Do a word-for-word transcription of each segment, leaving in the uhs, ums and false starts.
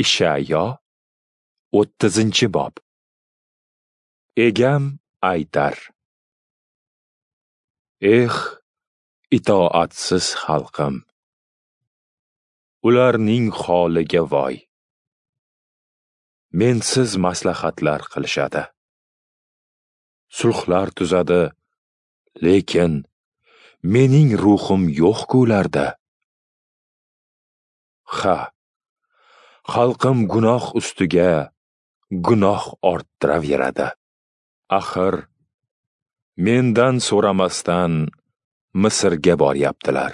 Ishayo o'ttizinchi bob. Egam aytar: Eh, itoatsiz xalqim, ularning holiga voy! Mensiz maslahatlar qilishadi, sulhlar tuzadi, lekin mening ruhim yo'q-ku ularda. Ha, xalqim gunoh ustiga gunoh orttiraveradi. Axir mendan so'ramasdan Misrga boryaptilar.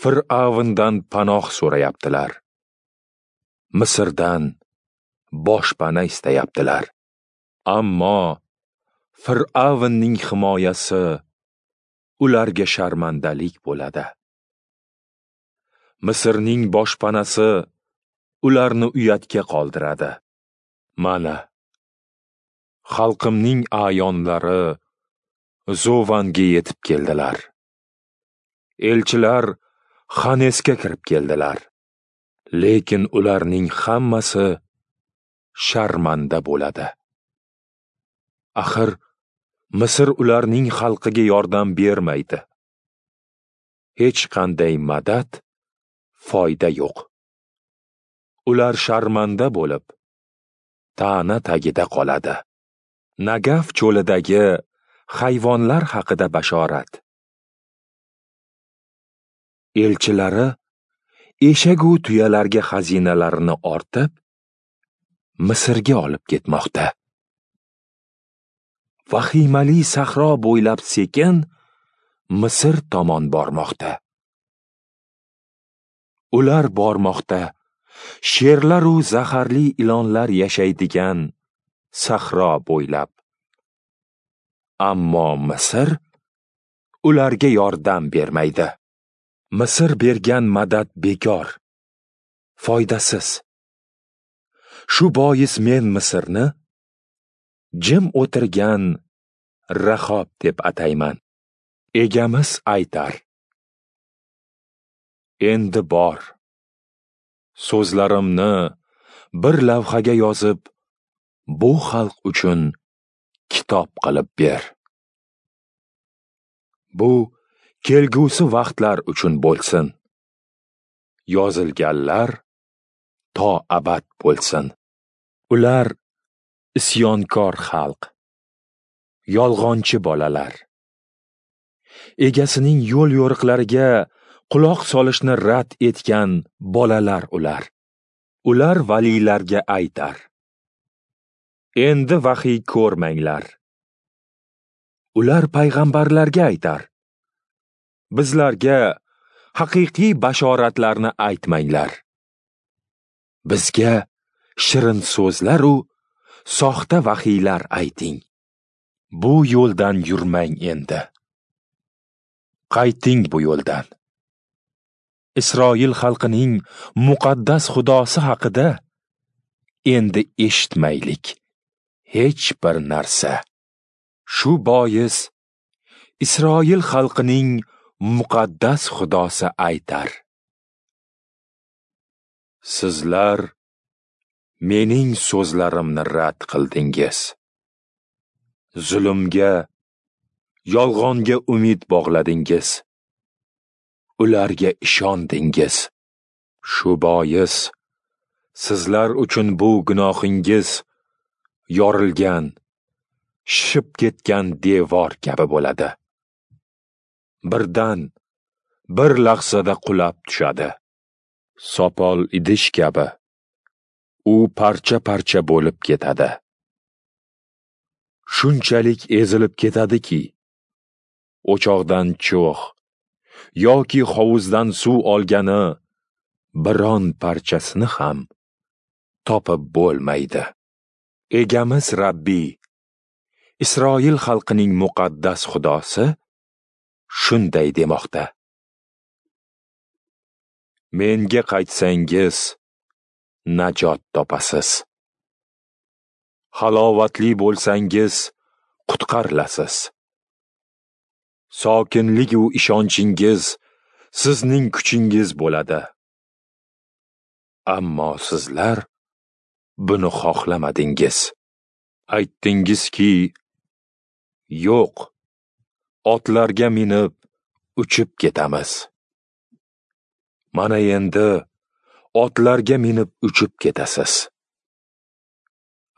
Fir'avndan panoh so'rayaptilar. Misrdan boshpana istayaptilar. Ammo Fir'avnning himoyasi ularga sharmandalik bo'ladi. Misrning boshpanasi ularni uyatga qoldiradi. Mana, xalqimning a'yonlari Zovanga yetib keldilar. Elchilar Xanesga kirib keldilar. Lekin ularning hammasi sharmanda bo'ladi. Axir Misr ularning xalqiga yordam bermaydi. Hech qanday madad, foyda yo'q. Ular sharmanda bo'lib, ta'na tagida qoladi. Nagaf cho'lidagi hayvonlar haqida bashorat. Elchilari eshagu tuyalarga xazinalarini ortib, Misrga olib ketmoqda. Vahimali sahro bo'ylab sekin Misr tomon bormoqda. Ular bormoqda, sherlar u zaharli ilonlar yashaydigan sahro bo'ylab. Ammo Misr ularga yordam bermaydi. Misr bergan madad bekor, foydasiz. Shu bois men Misrni jim o'tirgan Rahob deb atayman. Egamiz aytar: Endi bor, so'zlarimni bir lavhaga yozib, bu xalq uchun kitob qilib ber. Bu kelgusi vaqtlar uchun bo'lsin. Yozilganlar to abad bo'lsin. Ular isyonkor xalq, yolg'onchi bolalar. Egasining yo'l yo'riqlariga quloq solishni rad etgan bolalar ular. Ular valiylarga aytar: Endi vahiy ko'rmanglar. Ular payg'ambarlarga aytar: Bizlarga haqiqiy bashoratlarni aytmanglar. Bizga shirin so'zlar u soxta vahiylar ayting. Bu yo'ldan yurmang endi. Qayting bu yo'ldan. Isroil xalqining muqaddas Xudosi haqida endi eshitmaylik hech bir narsa. Shu bois Isroil xalqining muqaddas Xudosi aytar: Sizlar mening so'zlarimni rad qildingiz. Zulmga, yolg'onga umid bog'ladingiz. Ularga ishondingiz. Shu bois sizlar uchun bu gunohingiz yorilgan, shishib ketgan devor kabi bo'ladi. Birdan, bir lahzada qulab tushadi. Sopol idish kabi u parcha-parcha bo'lib ketadi. Shunchalik ezilib ketadiki, o'choqdan cho'g' yoki hovuzdan suv olgani biron parchasini ham topib bo'lmaydi. Egamiz Rabbiy, Isroil xalqining muqaddas Xudosi shunday demoqda: Menga qaytsangiz, najot topasiz. Halovatli bo'lsangiz, qutqarilasiz. Sokinlik u ishonchingiz sizning kuchingiz bo'ladi. Ammo sizlar buni xohlamadingiz. Aytdingizki, yo'q, otlarga minib uchib ketamiz. Mana endi otlarga minib uchib ketasiz.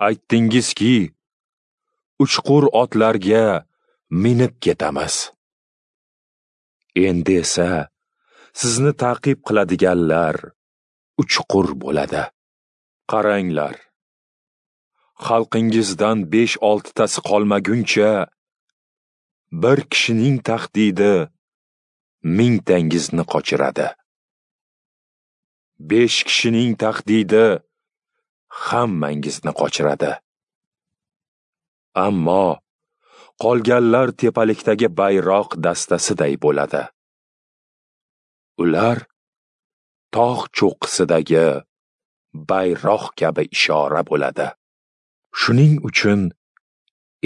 Aytdingizki, uchqur otlarga minib ketamiz. Endi esa sizni ta'qib qiladiganlar uchqur bo'ladi. Qaranglar, xalqingizdan besh-oltitasi qolmaguncha bir kishining tahdidi mingtangizni qochiradi. Besh kishining tahdidi hammangizni qochiradi. Ammo qolganlar tepalikdagi bayroq dastasiday bo'ladi. Ular tog' cho'qqisidagi bayroq kabi ishora bo'ladi. Shuning uchun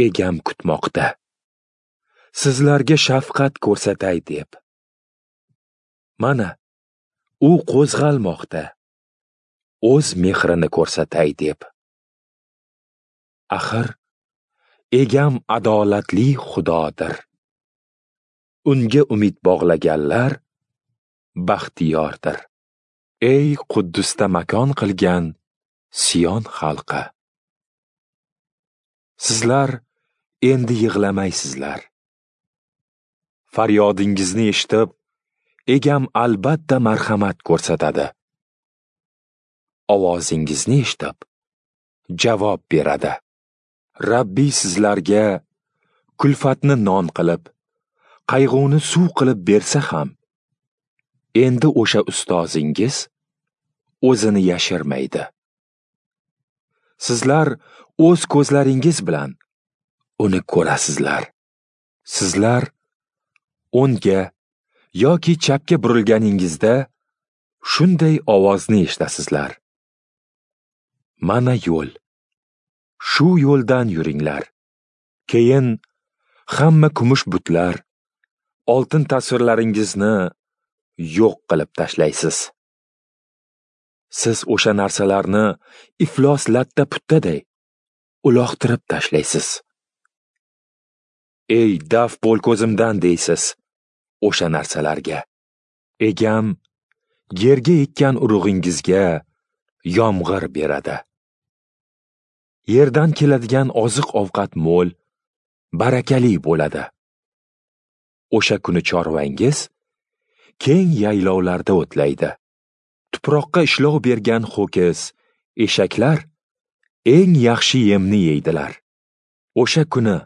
egam kutmoqda, sizlarga shafqat ko'rsatay deb. Mana u qo'zg'almoqda, o'z mehrini ko'rsatay deb. Axir egam adolatli Xudodir. Unga umid bog'laganlar baxtiyordir. Ey Quddusda makon qilgan Sion xalqi, sizlar endi yig'lamaysizlar. Faryodingizni eshitib, egam albatta marhamat ko'rsatadi. Ovozingizni eshitib, javob beradi. Rabbiy sizlarga kulfatni non qilib, qayg'uni suv qilib bersa ham, endi o'sha ustozingiz o'zini yashirmaydi. Sizlar o'z ko'zlaringiz bilan uni ko'rasizlar. Sizlar o'ngga yoki chapga burilganingizda shunday ovozni eshitasizlar: Mana yo'l. Shu yo'ldan yuringlar. Keyin hamma kumush butlar, oltin tasvirlaringizni yo'q qilib tashlaysiz. Siz o'sha narsalarni iflos latta-puttaday uloqtirib tashlaysiz. Ey daf bo'l ko'zimdan deysiz o'sha narsalarga. Egam yerga ekkan urug'ingizga yomg'ir beradi. Yerdan keladigan oziq-ovqat mo'l, barakali bo'ladi. O'sha kuni chorvangiz keng yaylovlarda o'tlaydi. Tuproqqa ishlov bergan ho'kiz, eshaklar eng yaxshi yemni yeydilar. O'sha kuni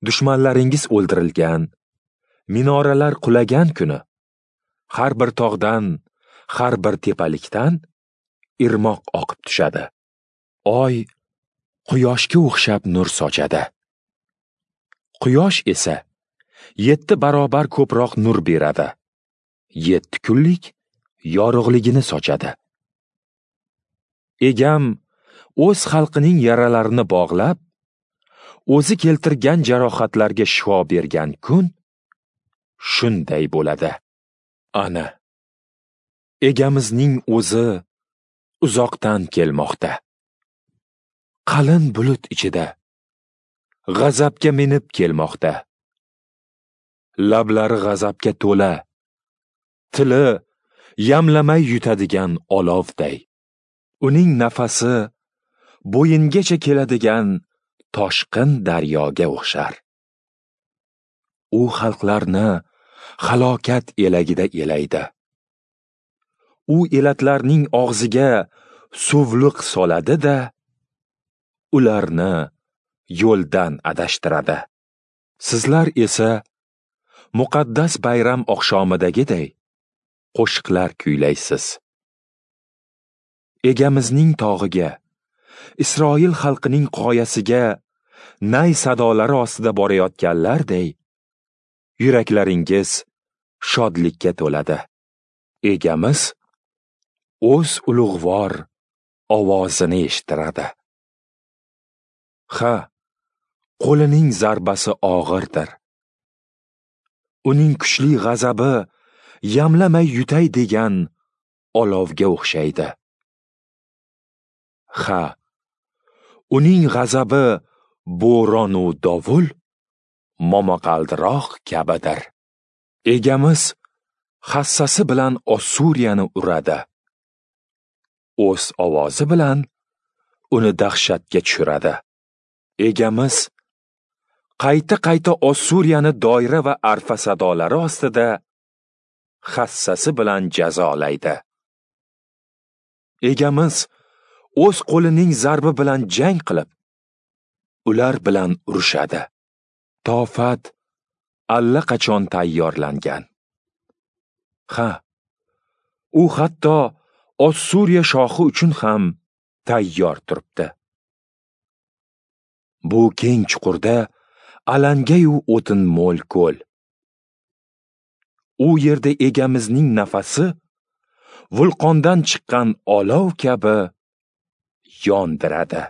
dushmanlaringiz o'ldirilgan, minoralar qulagan kuni har bir tog'dan, har bir tepalikdan irmoq oqib tushadi. Oy quyoshga o'xshab nur sochadi. Quyosh esa yetti barobar ko'proq nur beradi. Yetti kunlik yorug'ligini sochadi. Egam o'z xalqining yaralarini bog'lab, o'zi keltirgan jarohatlarga shifo bergan kun shunday bo'ladi. Ana, egamizning o'zi uzoqdan kelmoqda. Qalin bulut ichida g'azabga minib kelmoqda. Lablari g'azabga to'la, tili yamlamay yutadigan olovday. Uning nafasi bo'yingacha keladigan toshqin daryoga o'xshar. U xalqlarni halokat elagida elaydi. U elatlarning og'ziga suvliq soladi-da, ularni yo'ldan adashtiradi. Sizlar esa muqaddas bayram oqshomidagiday qo'shiqlar kuylaysiz. Egamizning tog'iga, Isroil xalqining qoyasiga nay sadolari ostida borayotganlarday yuraklaringiz shodlikka to'ladi. Egamiz o'z ulug'vor ovozini eshittiradi. Ha, qo'lining zarbasi og'irdir. Uning kuchli g'azabi yamlamay yutay degan olovga o'xshaydi. Ha, uning g'azabi bo'ronu dovul, momaqaldiroq kabidir. Egamiz hassasi bilan Ossuriyani uradi. O'z ovozi bilan uni dahshatga tushiradi. Egamiz qayta-qayta Ossuriyani doira va arfa sadolari ostida hassasi bilan jazolaydi. Egamiz o'z qo'lining zarbi bilan jang qilib, ular bilan urushadi. Tofat allaqachon tayyorlangan. Ha, u hatto Ossuriya shohi uchun ham tayyor turibdi. Bu keng chuqurda alangayu o'tin mo'l ko'l. U yerda egamizning nafasi vulqondan chiqqan olov kabi yondiradi.